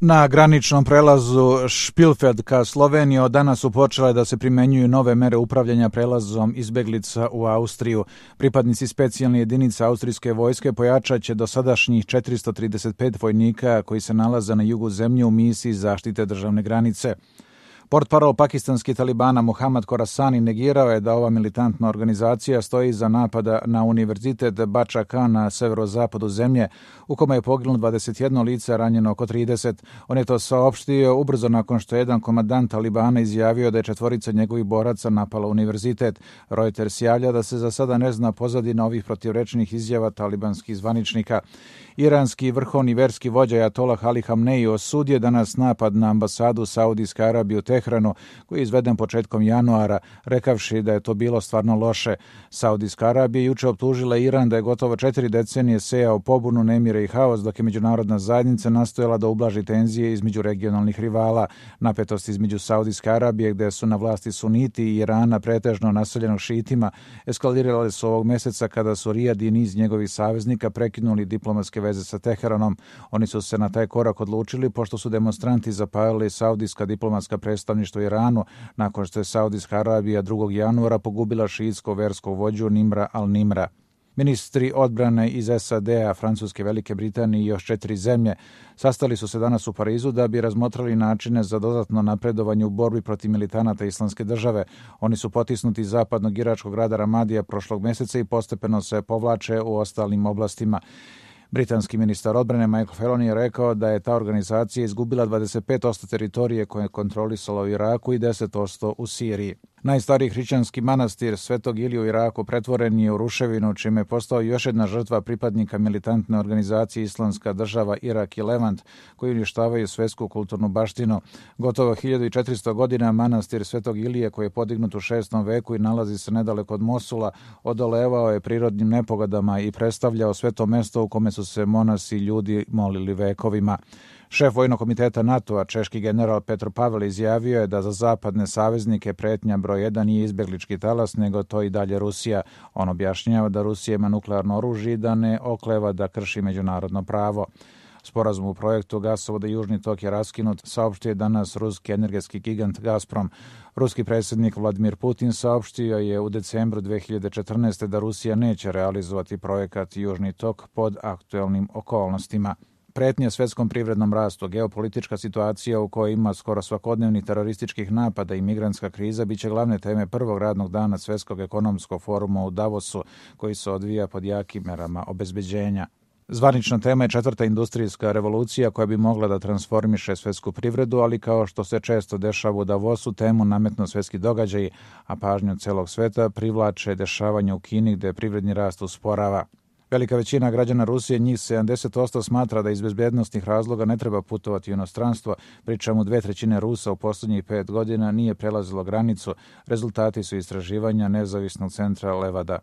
Na graničnom prelazu Špilfeld ka Sloveniji od danas su počele da se primenjuju nove mere upravljanja prelazom izbeglica u Austriju. Pripadnici specijalne jedinice austrijske vojske pojačat će dosadašnjih 435 vojnika koji se nalaze na jugu zemlje u misiji zaštite državne granice. Portparol pakistanskih talibana Muhammad Khorasani negirao je da ova militantna organizacija stoji iza napada na univerzitet Bača Khan na severozapadu zemlje, u kome je poginulo 21 lice, ranjeno oko 30. On je to saopštio ubrzo nakon što je jedan komandant talibana izjavio da je 4 njegovih boraca napala univerzitet. Reuters javlja da se za sada ne zna pozadina ovih protivrečnih izjava talibanskih zvaničnika. Iranski vrhovni verski vođa Ajatolah Ali Hamneji osudio danas napad na ambasadu Saudijske Arabije u Tehranu, koji je izveden početkom januara, rekavši da je to bilo stvarno loše. Saudijska Arabija juče optužila Iran da je gotovo 4 decenije sejao pobunu, nemire i haos, dok je međunarodna zajednica nastojala da ublaži tenzije između regionalnih rivala. Napetost između Saudijske Arabije, gde su na vlasti suniti, i Irana, pretežno naseljenog šiitima, eskalirale su ovog meseca kada su Rijad i niz njegovih saveznika prekinuli diplomatske veze sa Teheranom. Oni su se na taj korak odlučili pošto su demonstranti zapalili saudijska diplomatska predstavništva u Iranu nakon što je Saudijska Arabija 2. januara pogubila šiitsko verskog vođu Nimra al-Nimra. Ministri odbrane iz SAD-a, Francuske, Velike Britanije i još 4 zemlje sastali su se danas u Parizu da bi razmotrali načine za dodatno napredovanje u borbi protiv militanata Islamske države. Oni su potisnuti iz zapadnog iračkog grada Ramadija prošlog meseca i postepeno se povlače u ostalim oblastima. Britanski ministar odbrane Michael Fallon je rekao da je ta organizacija izgubila 25% teritorije koje je kontrolisala u Iraku i 10% u Siriji. Najstariji hrišćanski manastir Svetog Ilije u Iraku pretvoren je u ruševinu, čime je postao još jedna žrtva pripadnika militantne organizacije Islamska država Irak i Levant, koji uništavaju svetsku kulturnu baštinu. Gotovo 1400 godina manastir Svetog Ilije, koji je podignut u 6. veku i nalazi se nedaleko od Mosula, odolevao je prirodnim nepogodama i predstavljao sveto mesto u kome su se monasi i ljudi molili vekovima. Šef vojnog komiteta NATO-a, češki general Petro Pavel, izjavio je da za zapadne saveznike pretnja broj 1 nije izbeglički talas, nego to i dalje Rusija. On objašnjava da Rusija ima nuklearno oružje i da ne okleva da krši međunarodno pravo. Sporazum u projektu gasovoda Južni tok je raskinut, saopštio je danas ruski energetski gigant Gazprom. Ruski predsjednik Vladimir Putin saopštio je u decembru 2014. da Rusija neće realizovati projekat Južni tok pod aktuelnim okolnostima. Pretnje svetskom privrednom rastu, geopolitička situacija u kojoj ima skoro svakodnevnih terorističkih napada i migrantska kriza biće glavne teme prvog radnog dana Svetskog ekonomskog foruma u Davosu, koji se odvija pod jakim merama obezbeđenja. Zvanična tema je 4. industrijska revolucija koja bi mogla da transformiše svetsku privredu, ali kao što se često dešava u Davosu, temu nametnu svetski događaji, a pažnju celog sveta privlače dešavanja u Kini gde privredni rast usporava. Velika većina građana Rusije, njih 70%, smatra da iz bezbednosnih razloga ne treba putovati u inostranstvo, pri čemu 2/3 Rusa u posljednjih 5 godina nije prelazilo granicu. Rezultati su istraživanja nezavisnog centra Levada.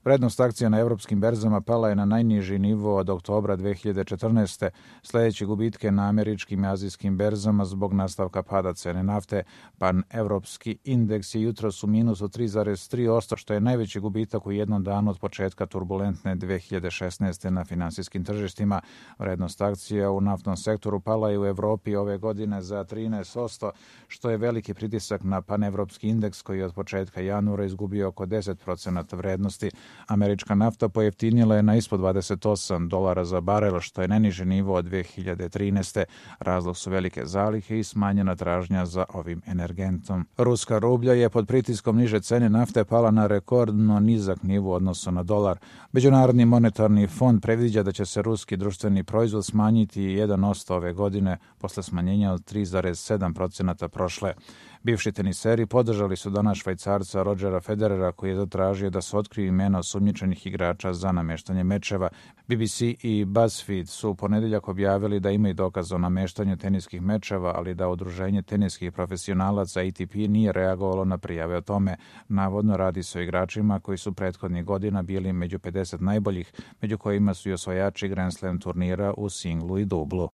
Vrednost akcija na evropskim berzama pala je na najniži nivo od oktobra 2014. Sljedeći gubitke na američkim i azijskim berzama zbog nastavka pada cene nafte. Pan-evropski indeks je jutros u minusu 3,3%, što je najveći gubitak u jednom danu od početka turbulentne 2016. na finansijskim tržištima. Vrednost akcija u naftnom sektoru pala je u Evropi ove godine za 13%, što je veliki pritisak na pan-evropski indeks koji je od početka januara izgubio oko 10% vrednosti. Američka nafta pojeftinila je na ispod $28 za barel, što je najniži nivo od 2013. Razlog su velike zalihe i smanjena tražnja za ovim energentom. Ruska rublja je pod pritiskom niže cene nafte pala na rekordno nizak nivo u odnosu na dolar. Međunarodni monetarni fond predviđa da će se ruski društveni proizvod smanjiti 1% ove godine posle smanjenja od 3,7% prošle. Bivši teniseri podržali su danas Švajcarca Rodgera Federera, koji je zatražio da se otkriju imena osumnjičenih igrača za nameštanje mečeva. BBC i BuzzFeed su u ponedeljak objavili da imaju dokaz o nameštanju teniskih mečeva, ali da udruženje teniskih profesionalaca ATP nije reagovalo na prijave o tome. Navodno radi se o igračima koji su prethodnih godina bili među 50 najboljih, među kojima su i osvajači Grand Slam turnira u singlu i dublu.